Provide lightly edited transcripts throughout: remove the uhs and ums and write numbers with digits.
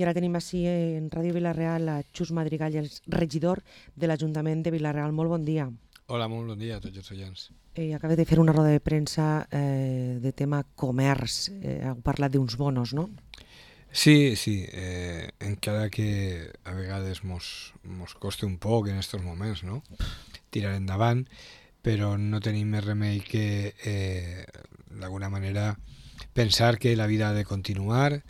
I ara tenim així en Ràdio Vila-real a Xus Madrigal, el regidor de l'Ajuntament de Vila-real. Molt bon dia. Hola, molt bon dia a tots els oients. Acaba de fer una roda de premsa de tema comerç. Heu parlat d'uns bonos, no? Sí, encara que a vegades mos costa un poc en aquests moments, no? Tirar endavant, però no tenim més remei que d'alguna manera pensar que la vida ha de continuar,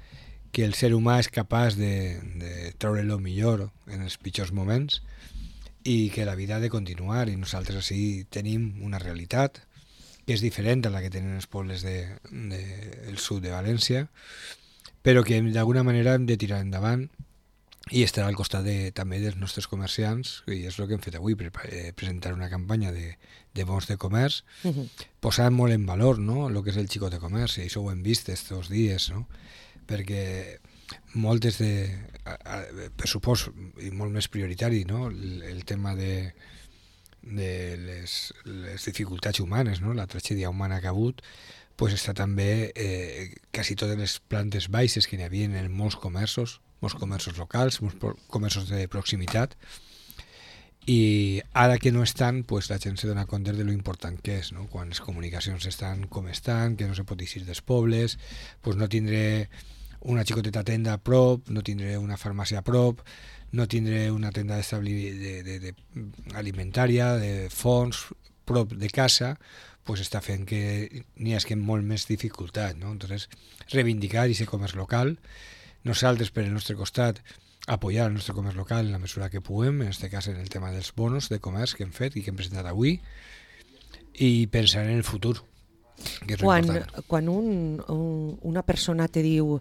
que el ser humà és capaç de treure el millor en els pitjors moments i que la vida ha de continuar, i nosaltres així tenim una realitat que és diferent a la que tenen els pobles del sud de València, però que d'alguna manera hem de tirar endavant i estar al costat també dels nostres comerciants, i és el que hem fet avui, presentar una campanya de bons de comerç, posant molt en valor, no?, el que és el xicot de comerç, i això ho hem vist estos dies, no?, perquè moltes per supost, i molt més prioritari, no?, el tema de les dificultats humanes, no?, la tragèdia humana que ha hagut, pues està també quasi totes les plantes baixes que n'hi havia en molts comerços locals, molts comerços de proximitat, i ara que no estan, pues la gent se dona compte de lo important que és, no? Quan les comunicacions estan com estan, que no se pot eixir dels pobles, pues no tindré una xicoteta tenda a prop, no tindré una farmàcia a prop, no tindré una tenda alimentària, de fons, prop de casa, pues està fent que n'hi hagi molt més dificultat, no? Entonces, reivindicar aquest comerç local, nosaltres per el nostre costat apoyar el nostre comerç local en la mesura que puguem, en aquest cas en el tema dels bonos de comerç que hem fet i que hem presentat avui, i pensar en el futur, que és important. Quan una persona te diu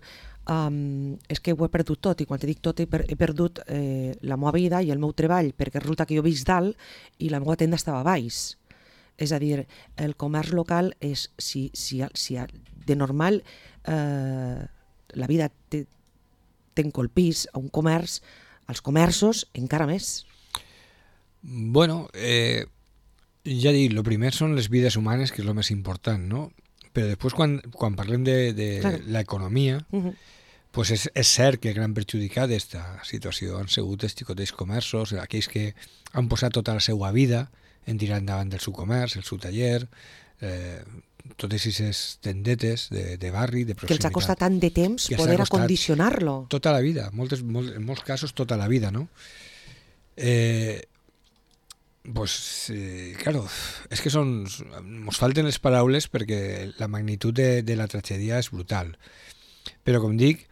és que ho he perdut tot, i quan te dic tot he perdut la meva vida i el meu treball, perquè resulta que jo visc dalt i la meva tenda estava a baix. És a dir, el comerç local és, si de normal la vida t'encolpís a un comerç, als comerços encara més. Bueno, ja dic, el primer són les vides humanes, que és el més important, no? Però després quan parlem de l'economia, pues és cert que el gran perjudicat d'aquesta situació han sigut els xicotets comerços, aquells que han posat tota la seva vida en tirar endavant del seu comerç, el seu taller, totes aquestes tendetes de barri, de proximitat. Que els ha costat tant de temps poder acondicionar-lo. Tota la vida, en molts casos tota la vida, no? Claro, és que ens falten les paraules perquè la magnitud de la tragèdia és brutal. Però, com dic,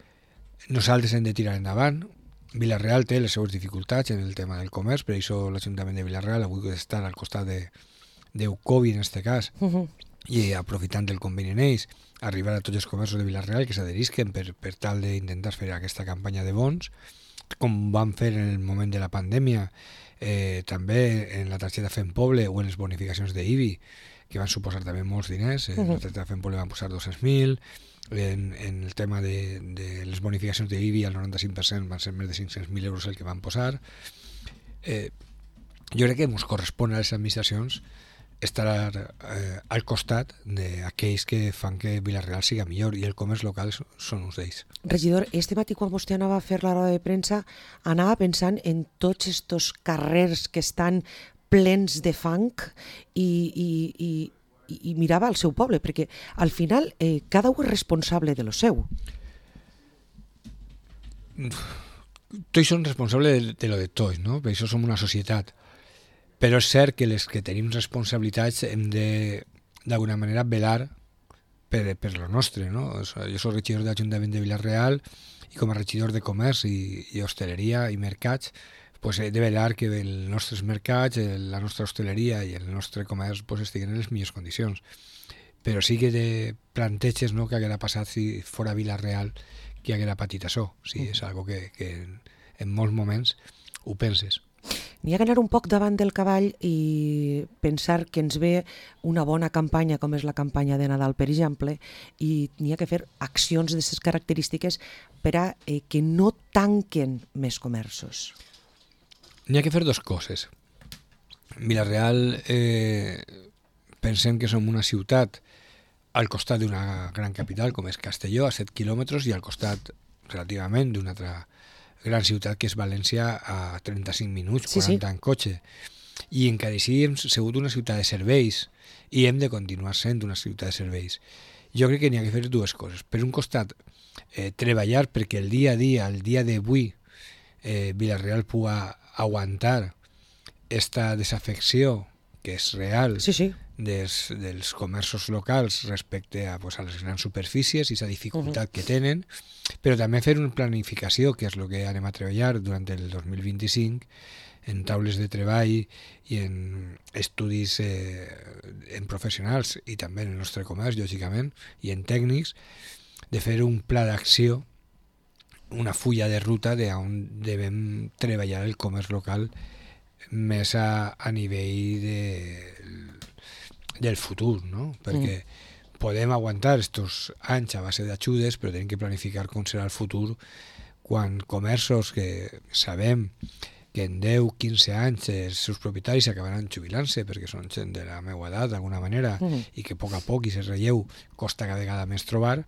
nosaltres hem de tirar endavant. Vila-real té les seues dificultats en el tema del comerç, per això l'Ajuntament de Vila-real avui ha d'estar al costat d'Eucovi, en aquest cas, i aprofitant del conveni en ells, arribar a tots els comerços de Vila-real que s'adherisquen per tal d'intentar fer aquesta campanya de bons, com van fer en el moment de la pandèmia, també en la targeta Fem Poble o en les bonificacions d'IBI, que van suposar també molts diners. En la targeta Fem Poble van posar 200.000, en el tema de les bonificacions d'IBI al 95% van ser més de 500.000 euros el que van posar. Jo crec que ens correspon a les administracions estar al costat d'aquells que fan que Vila-real siga millor, i el comerç local són uns d'ells. Regidor, este matí quan vostè anava a fer la roda de premsa anava pensant en tots estos carrers que estan plens de fang i mirava al seu poble, perquè al final cada un és responsable de lo seu. Tots són responsables de lo de tots, no? Per això som una societat. Però és cert que les que tenim responsabilitats hem de, d'alguna manera, velar per lo nostre, no? Jo soc regidor de l'Ajuntament de Vila-real i com a regidor de comerç i hostaleria i mercats, pues he de velar que els nostres mercats, la nostra hostaleria i el nostre comerç pues estiguin en les millors condicions. Però sí que te planteges, no, que haguera passat si fora Vila-real que haguera patit això. Sí, és algo que en molts moments ho penses. N'hi ha que anar un poc davant del cavall i pensar que ens ve una bona campanya, com és la campanya de Nadal, per exemple, i n'hi ha que fer accions d'aquestes característiques per a que no tanquen més comerços. N'hi ha que fer dues coses. Vila-real, pensem que som una ciutat al costat d'una gran capital com és Castelló, a 7 quilòmetres, i al costat relativament d'una altra gran ciutat que és València a 35 minuts, 40 en cotxe. I encara així hem sigut una ciutat de serveis i hem de continuar sent una ciutat de serveis. Jo crec que n'hi ha que fer dues coses. Per un costat, treballar perquè el dia a dia, el dia d'avui, Vila-real pugui aguantar esta desafecció que és real dels comerços locals respecte a les grans superfícies i la dificultat que tenen, però també fer una planificació, que és el que anem a treballar durant el 2025, en taules de treball i en estudis en professionals i també en el nostre comerç, lògicament, i en tècnics, de fer un pla d'acció, una fulla de ruta d'on devem treballar el comerç local més a nivell del futur, no? Perquè podem aguantar estos anys a base d'ajudes, però tenim que planificar com serà el futur quan comerços que sabem que en 10-15 anys els seus propietaris acabaran jubilant-se perquè són gent de la meva edat d'alguna manera i que a poc i se relleu costa cada vegada més trobar,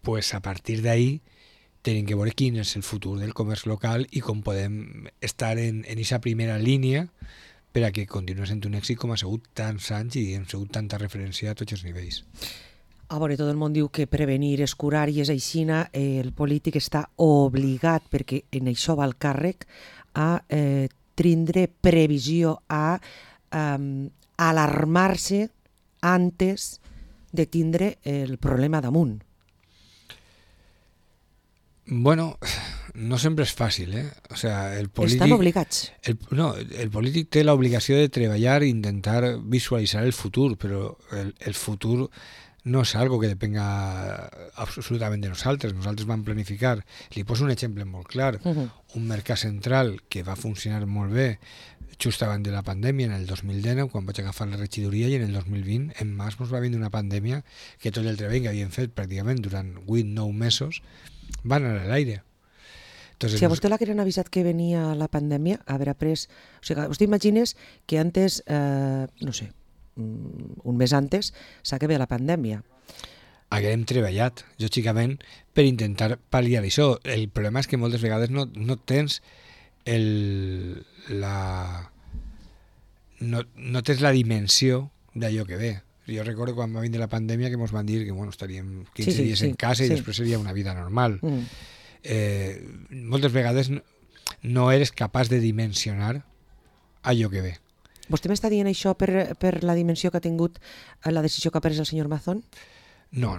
pues a partir d'ahí tenim que veure quin és el futur del comerç local i com podem estar en aquesta primera línia per a que continuï sent un èxit com ha sigut tants anys i hem sigut tanta referència a tots els nivells. A veure, tot el món diu que prevenir és curar i és aixina, el polític està obligat, perquè en això va el càrrec, a tindre previsió, a alarmar-se antes de tindre el problema damunt. Bueno, no sempre és fàcil, O sea, el polític... Estan obligats. El polític té l'obligació de treballar i intentar visualitzar el futur, però el futur no és algo que depenga absolutament de nosaltres. Nosaltres vam planificar. Li poso un exemple molt clar. Un mercat central que va funcionar molt bé just abans de la pandèmia, en el 2019, quan vaig agafar la regidoria, i en el 2020, en març, ens va vindre una pandèmia que tot el treball que havien fet pràcticament durant 8-9 mesos va anar a l'aire. Si a vostè l'hagueren avisat que venia la pandèmia, haver après... O sigui, vostè imagines que antes, no sé, un mes antes, s'acaba la pandèmia. Haguem treballat, lògicament, per intentar pal·liar això. El problema és que moltes vegades no tens no tens la dimensió d'allò que ve. Jo recordo quan va vindre la pandèmia que ens van dir que estaríem 15 dies en casa i després seria una vida normal. Moltes vegades no eres capaç de dimensionar allò que ve. Vostè m'està dient això per la dimensió que ha tingut la decisió que ha pres el senyor Mazón? No,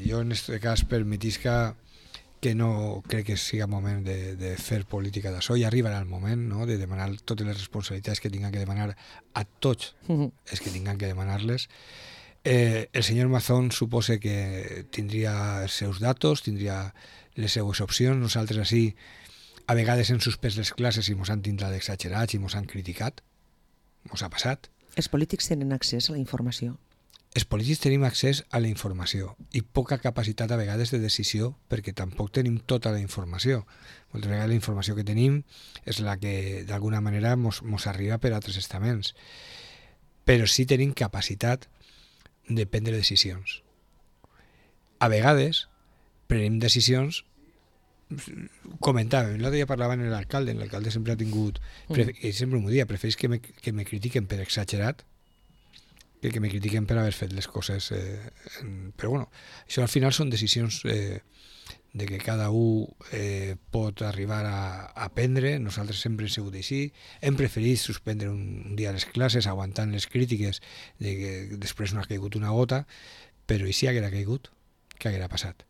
jo en aquest cas permetisca que no crec que sigui moment de fer política d'això. Ja arribarà el moment, no?, de demanar totes les responsabilitats que tinguin que demanar a tots els que tinguin que demanar-les. El senyor Mazón suposa que tindria els seus datos, tindria les seues opcions. Nosaltres així a vegades hem suspès les classes i ens han tindrat exagerats i ens han criticat. Ens ha passat. Els polítics tenen accés a la informació? Els polítics tenim accés a la informació i poca capacitat a vegades de decisió perquè tampoc tenim tota la informació. Moltes vegades la informació que tenim és la que d'alguna manera ens arriba per altres estaments. Però sí tenim capacitat de prendre decisions. A vegades prenem decisions, comentàvem, l'altre dia parlava amb l'alcalde sempre ha tingut, sempre m'ho dia, prefereix que me critiquen per exagerat que me critiquen per haver fet les coses, però bueno, això al final són decisions de que cada un pot arribar a prendre. Nosaltres sempre hem sigut així, hem preferit suspendre un dia les classes aguantant les crítiques de que després no ha caigut una gota, però i si haguera caigut, què haguera passat?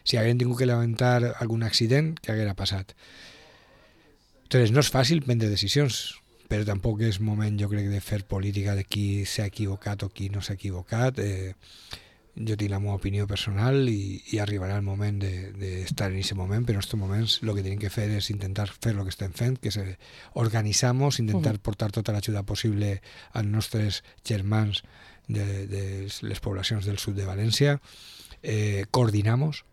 Si haguem tingut que lamentar algun accident, què haguera passat? Entonces no és fàcil prendre decisions, però tampoc és moment, jo crec, de fer política de qui s'ha equivocat o qui no s'ha equivocat. Jo tinc la meva opinió personal i arribarà el moment d'estar en aquest moment, però en aquests moments el que tenim que fer és intentar fer el que estem fent, que és organitzar-nos, intentar portar tota l'ajuda possible als nostres germans de les poblacions del sud de València, coordinar-nos.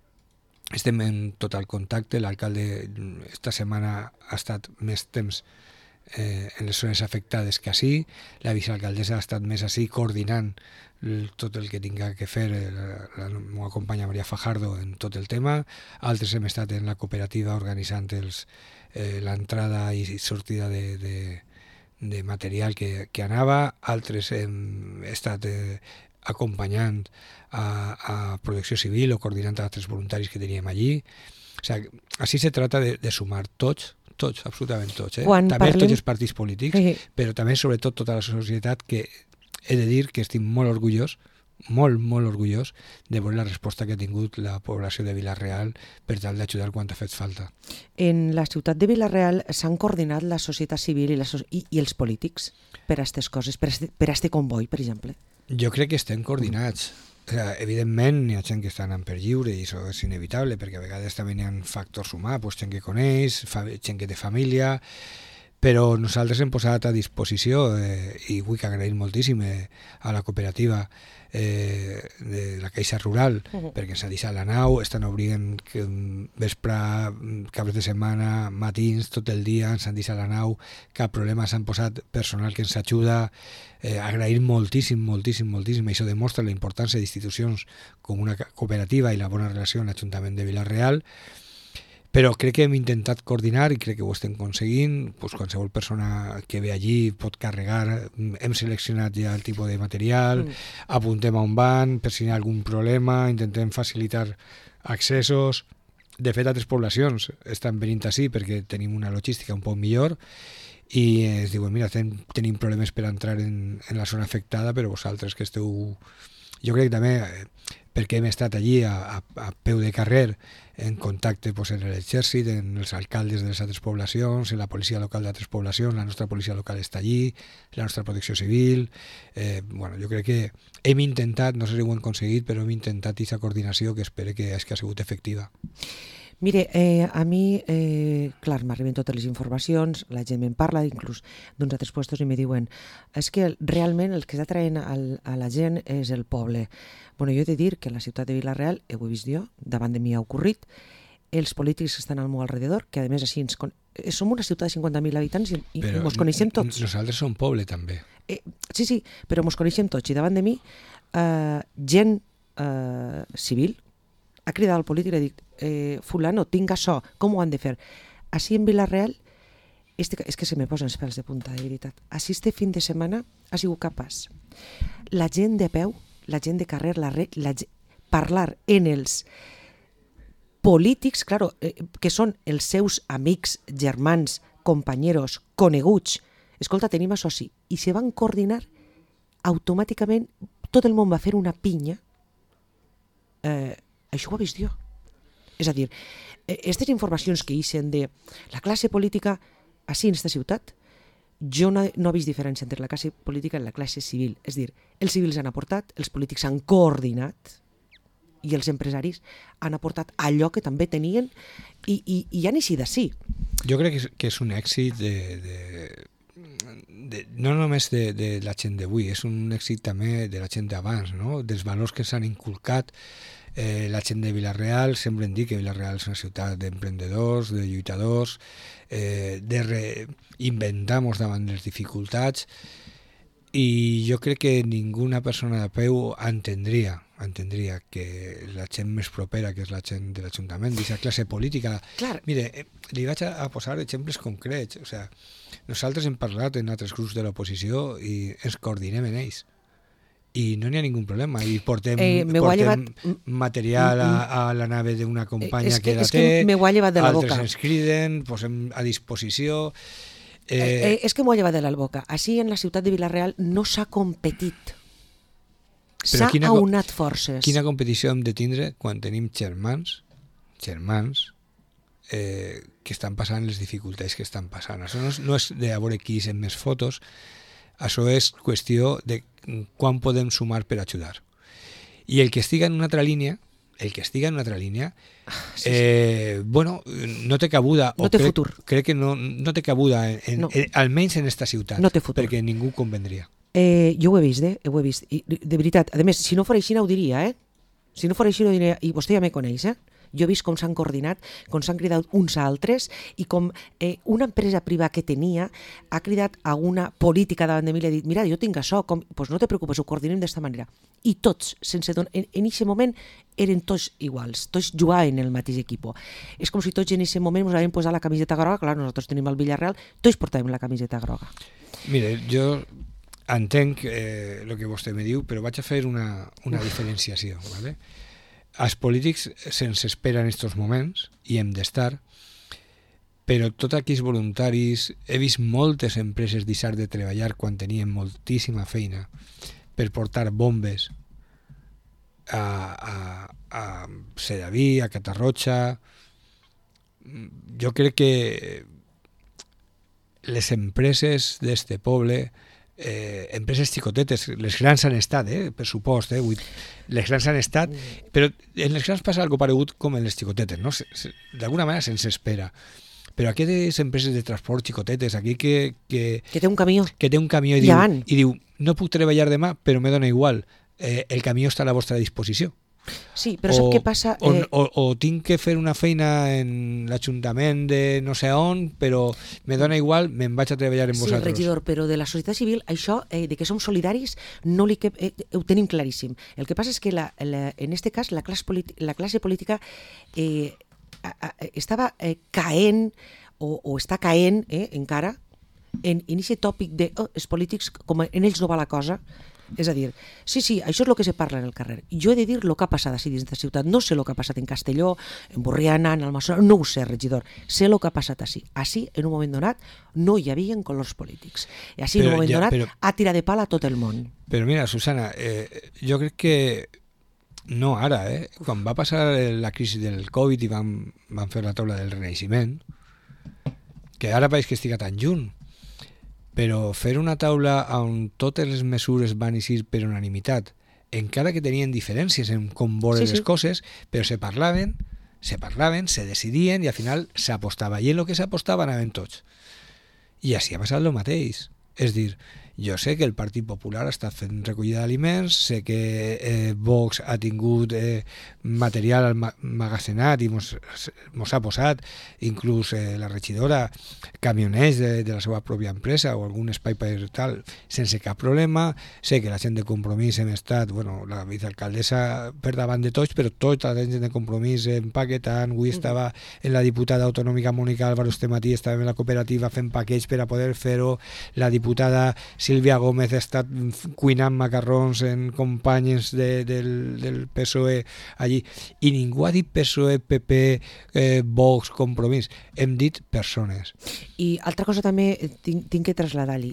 Estem en total contacte. L'alcalde esta setmana ha estat més temps en les zones afectades que així. La vicealcaldessa ha estat més així coordinant tot el que tinga que fer la meva companya Maria Fajardo en tot el tema. Altres hem estat en la cooperativa organitzant l'entrada i sortida de material que anava. Altres hem estat acompanyant a Protecció Civil o coordinant altres voluntaris que teníem allí. O sigui, així se trata de sumar tots, absolutament tots. També tots els partits polítics, però també sobretot tota la societat, que he de dir que estic molt orgullós, molt orgullós de veure la resposta que ha tingut la població de Vila-real per tal d'ajudar quan ha fet falta. En la ciutat de Vila-real s'han coordinat la societat civil i els polítics per a aquestes coses, per a este comboi, per exemple? Jo crec que estem coordinats. Evidentment hi ha gent que està anant per lliure i això és inevitable, perquè a vegades també hi ha factors humans, gent que coneix, gent que té família, però nosaltres hem posat a disposició, i vull que agraïm moltíssim a la cooperativa de la Caixa Rural, perquè ens ha deixat la nau, estan obrint vespre, caps de setmana, matins, tot el dia, ens han deixat la nau, cap problema, s'han posat personal que ens ajuda. Agrair moltíssim, això demostra la importància d'institucions com una cooperativa i la bona relació amb l'Ajuntament de Vila-real. Però crec que hem intentat coordinar i crec que ho estem aconseguint. Qualsevol persona que ve allí pot carregar. Hem seleccionat ja el tipus de material, apuntem a on van, per si hi ha algun problema, intentem facilitar accessos. De fet, altres poblacions estan venint així perquè tenim una logística un poc millor i ens diuen, mira, tenim problemes per entrar en la zona afectada, però vosaltres que esteu... Jo crec que també, perquè hem estat allí a peu de carrer, en contacte en l'exèrcit, en els alcaldes de les altres poblacions, en la policia local d'altres poblacions, la nostra policia local està allí, la nostra protecció civil. Jo crec que hem intentat, no sé si ho hem aconseguit, però hem intentat aquesta coordinació que espero que ha sigut efectiva. Mire, a mi, clar, m'arriben totes les informacions, la gent me'n parla, inclús d'uns altres puestos, i me diuen és que realment el que està traient a la gent és el poble. Bueno, jo he de dir que a la ciutat de Vila-real, ho he vist jo, davant de mi ha ocorrit, els polítics que estan al meu alrededor, que a més així som una ciutat de 50.000 habitants i ens coneixem tots. Nosaltres som poble també. Sí, però ens coneixem tots i davant de mi gent civil ha cridat al polític i ha dit fulano, tinc això, com ho han de fer? Així en Vila-real, és que se me posen els pèls de punta, de veritat. Així este fin de setmana ha sigut capaç. La gent de peu, la gent de carrer, parlar en els polítics, claro, que són els seus amics, germans, companyeros, coneguts. Escolta, tenim això sí. I se van coordinar automàticament, tot el món va fer una pinya. Això ho he vist jo. És a dir, aquestes informacions que ixen de la classe política així en aquesta ciutat, jo no he vist diferència entre la classe política i la classe civil. És a dir, els civils han aportat, els polítics han coordinat i els empresaris han aportat allò que també tenien i han eixit d'ací. Jo crec que és un èxit no només de la gent d'avui, és un èxit també de la gent d'abans, no? Dels valors que s'han inculcat. La gent de Vila-real, sempre hem dit que Vila-real és una ciutat d'emprendedors, de lluitadors, de reinventar-nos davant les dificultats, i jo crec que ninguna persona de peu entendria que la gent més propera, que és la gent de l'Ajuntament, d'aquesta classe política... Clar. Mire, li vaig a posar exemples concrets. O sigui, nosaltres hem parlat en altres grups de l'oposició i ens coordinem en ells. I no n'hi ha ningú problema, i portem material a la nave d'una companya que la té, altres ens criden, posem a disposició... És que m'ho ha llevat de la boca. Així en la ciutat de Vila-real no s'ha competit, s'ha aunat forces. Quina competició hem de tindre quan tenim germans que estan passant les dificultats que estan passant? Això no és de a veure qui és en més fotos, això és qüestió de quan podem sumar per ajudar. I el que estiga en una altra línia, bueno, no té cabuda. No té futur. Crec que no té cabuda, almenys en esta ciutat, no té futur, perquè ningú convendria. Jo ho he vist, ho he vist. I, de veritat, a més, si no fos així no ho diria, Si no fos així no ho diria, i vostè ja me coneix, Jo he vist com s'han coordinat, com s'han cridat uns a altres i com una empresa privada que tenia ha cridat a una política davant de mi i li ha dit, mira, jo tinc això, pues no te preocupes, ho coordinem d'esta manera. I tots, en aquest moment, eren tots iguals, tots jugaven en el mateix equip. És com si tots en aquest moment ens havien posat la camiseta groga, clar, nosaltres tenim el Villarreal, tots portàvem la camiseta groga. Mire, jo entenc el que vostè me diu, però vaig a fer una diferenciació. ¿Vale? Els polítics se'ns espera en aquests moments, i hem d'estar, però tots aquells voluntaris, he vist moltes empreses deixar de treballar quan tenien moltíssima feina per portar bombes a Sedaví, a Catarroja. Jo crec que les empreses d'este poble, empreses xicotetes, les grans han estat, per supost, les grans han estat, però en les grans passa algo paregut com en les xicotetes, no? D'alguna manera se'ns espera. Però aquestes empreses de transport xicotetes, aquí que té un camió, i diu, no puc treballar demà, però me dona igual, el camió està a la vostra disposició. Sí, però sap què passa? O tinc que fer una feina en l'Ajuntament de no sé on, però me dona igual, me'n vaig a treballar amb vosaltres. Sí, regidor, però de la societat civil, això de que som solidaris, no ho tenim claríssim. El que passa és que en aquest cas la classe política estava caent o està caent encara en aquest tòpic de els polítics, com en ells no va la cosa. És a dir, sí, això és el que se parla en el carrer. Jo he de dir el que ha passat així dins de la ciutat. No sé el que ha passat en Castelló, en Borriana, en Almassora, no ho sé, regidor. Sé el que ha passat així. Així, en un moment donat, no hi havia colors polítics. I així, en un moment donat, ha tirat de pal a tot el món. Però mira, Susana, jo crec que no ara, quan va passar la crisi del Covid i van fer la taula del Renaixement, que ara pareix que estiga tan junt, però fer una taula on totes les mesures van eixir per unanimitat, encara que tenien diferències en com veure les coses, però se parlaven, se decidien i al final s'apostava. I en el que s'apostava anaven tots. I així ha passat el mateix. És dir, jo sé que el Partit Popular ha estat fent recollida d'aliments, sé que Vox ha tingut material emmagazenat i mos ha posat, inclús la regidora, camioners de la seva pròpia empresa o algun espai per tal, sense cap problema. Sé que la gent de Compromís hem estat, la vicealcaldessa per davant de tots, però tota la gent de Compromís empaquetant. Avui estava en la diputada autonòmica Mònica Álvaro este matí, estava en la cooperativa fent paquets per a poder fer-ho. La diputada Sílvia Gómez ha estat cuinant macarrons en companys del PSOE allí, i ningú ha dit PSOE, PP, Vox, Compromís, hem dit persones. I altra cosa també tinc que traslladar-li,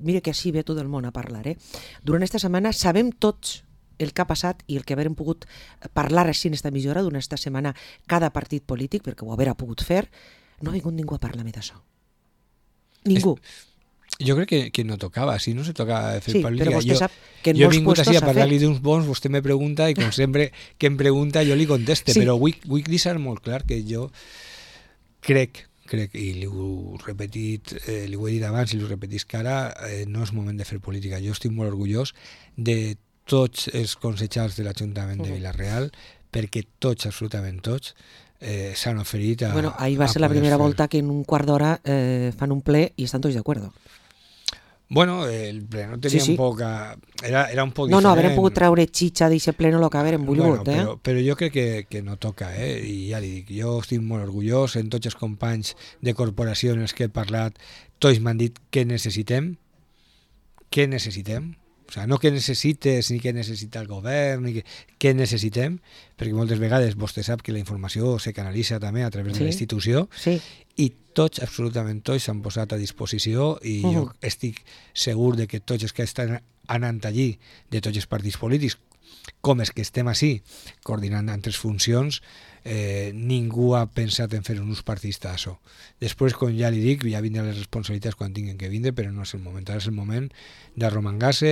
mira que així ve tot el món a parlar, durant aquesta setmana sabem tots el que ha passat i el que haurem pogut parlar així en esta mitja durant aquesta setmana cada partit polític, perquè ho haurà pogut fer, no ha vingut ningú a parlar més d'això. Ningú. Jo crec que no tocava, si no se tocava fer política. Però vostè sap que en jo he molts vingut puestos així a s'ha parlar-li fet. d'uns bons, vostè me pregunta i com sempre que em pregunta jo li conteste, Sí. però vull deixar molt clar que jo crec, i li ho he dit abans i li ho repetisc ara, no és moment de fer política. Jo estic molt orgullós de tots els consellers de l'Ajuntament de Vila-real, perquè tots, absolutament tots, s'han oferit a... Ahir va ser la primera volta que en un quart d'hora fan un ple i estan tots d'acord. El ple no tenia un poc... Era un poc No, diferent. haurem pogut treure xitxa d'aquest ple no el que haurem volgut, Però jo crec que no toca, i ja li dic, jo estic molt orgullós, en tots els companys de corporació en els que he parlat, tots m'han dit què necessitem, o sigui, no què necessites ni què necessita el govern, ni què necessitem, perquè moltes vegades vostè sap que la informació se canalitza també a través de la institució, i tots, absolutament tots, s'han posat a disposició, i jo estic segur de que tots els que estan anant allí, de tots els partits polítics, com és que estem així, coordinant altres funcions, ningú ha pensat en fer un ús partidista d'això. Després, com ja li dic, ja vindran les responsabilitats quan tinguin que vindre, però no és el moment. Ara és el moment d'arromangar-se,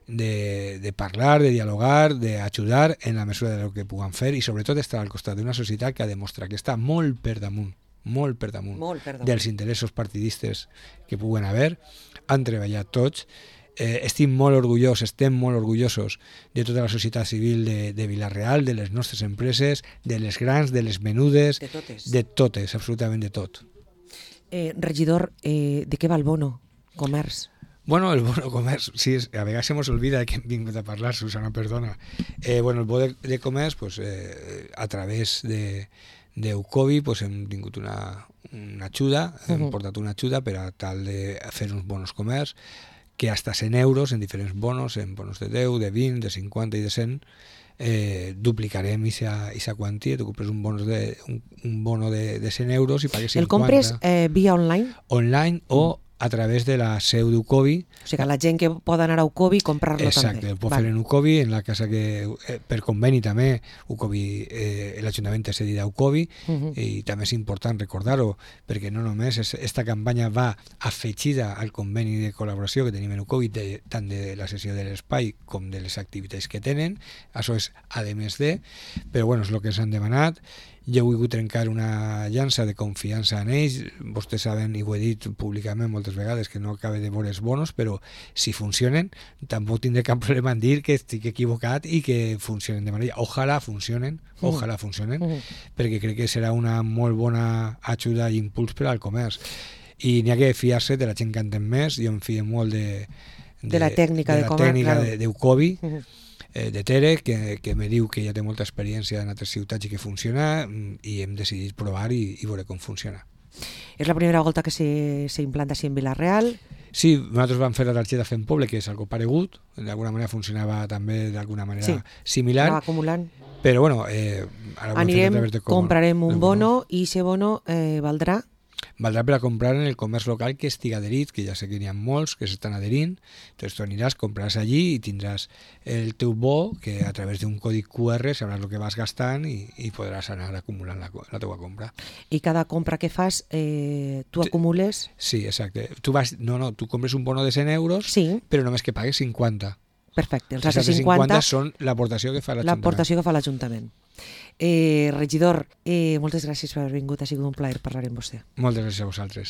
de parlar, de dialogar, d'ajudar en la mesura de lo que puguem fer i sobretot estar al costat d'una societat que ha demostrat que està molt per damunt dels interessos partidistes que puguen haver. Han treballat tots estem molt orgullosos de tota la societat civil de Vila-real, de les nostres empreses, de les grans, de les menudes, de totes, absolutament de tot. Regidor, de què va el bono comerç? Bueno, el bono comerç, sí, a vegades se mos olvida que hem vingut a parlar, Susana, perdona. Bueno, el bono de comerç, pues, a través d'Eucovi, pues, hem tingut una ajuda, hem portat una ajuda per a tal de fer uns bonos comerç, que hasta 100 euros en diferents bonos, en bonos de 10, de 20, de 50 i de 100, duplicarem aquesta quantia. Tu compres un bono de 100 euros i pagues 50. El compres via online? Online o a través de la seu d'Eucovi. O sigui, la gent que pot anar a Eucovi i comprar-lo també. Exacte, el pot fer en Eucovi, en la casa que, per conveni també, Eucovi, l'Ajuntament ha cedit a Eucovi, i també és important recordar-ho, perquè no només aquesta campanya va afegida al conveni de col·laboració que tenim en Eucovi, tant de la sessió de l'espai com de les activitats que tenen, això és a més de, però bueno, és el que ens han demanat. Jo he volgut trencar una llança de confiança en ells. Vostès saben, i ho he dit públicament moltes vegades, que no acaba de veure els bonos, però si funcionen, tampoc tindré cap problema en dir que estic equivocat i que funcionen de manera. Ojalà funcionen, perquè crec que serà una molt bona ajuda i impuls per al comerç. I n'hi ha que fiar-se de la gent que entén més. Jo em fio molt de la tècnica d'Eucovi, de Tere, que me diu que ja té molta experiència en altres ciutats i que funciona, i hem decidit provar i veure com funciona. És la primera volta que s'implanta així en Vila-real? Sí, nosaltres vam fer la targeta Fem Poble, que és algo paregut, d'alguna manera funcionava també d'alguna manera similar. Anava acumulant. Però bueno, comprarem un bono i aquest bono valdrà per a comprar en el comerç local que estigui adherit, que ja sé que n'hi ha molts que s'estan adherint. Entonces tu aniràs, compraràs allí i tindràs el teu bo, que a través d'un codi QR sabràs el que vas gastant i podràs anar acumulant la teua compra. I cada compra que fas tu acumules? Sí, exacte. Tu compres un bono de 100 euros, però només que pagues 50. Perfecte. Els altres 50 són l'aportació que fa l'Ajuntament. L'aportació que fa l'Ajuntament. Regidor, moltes gràcies per haver vingut, ha sigut un plaer parlar amb vostè. Moltes gràcies a vosaltres.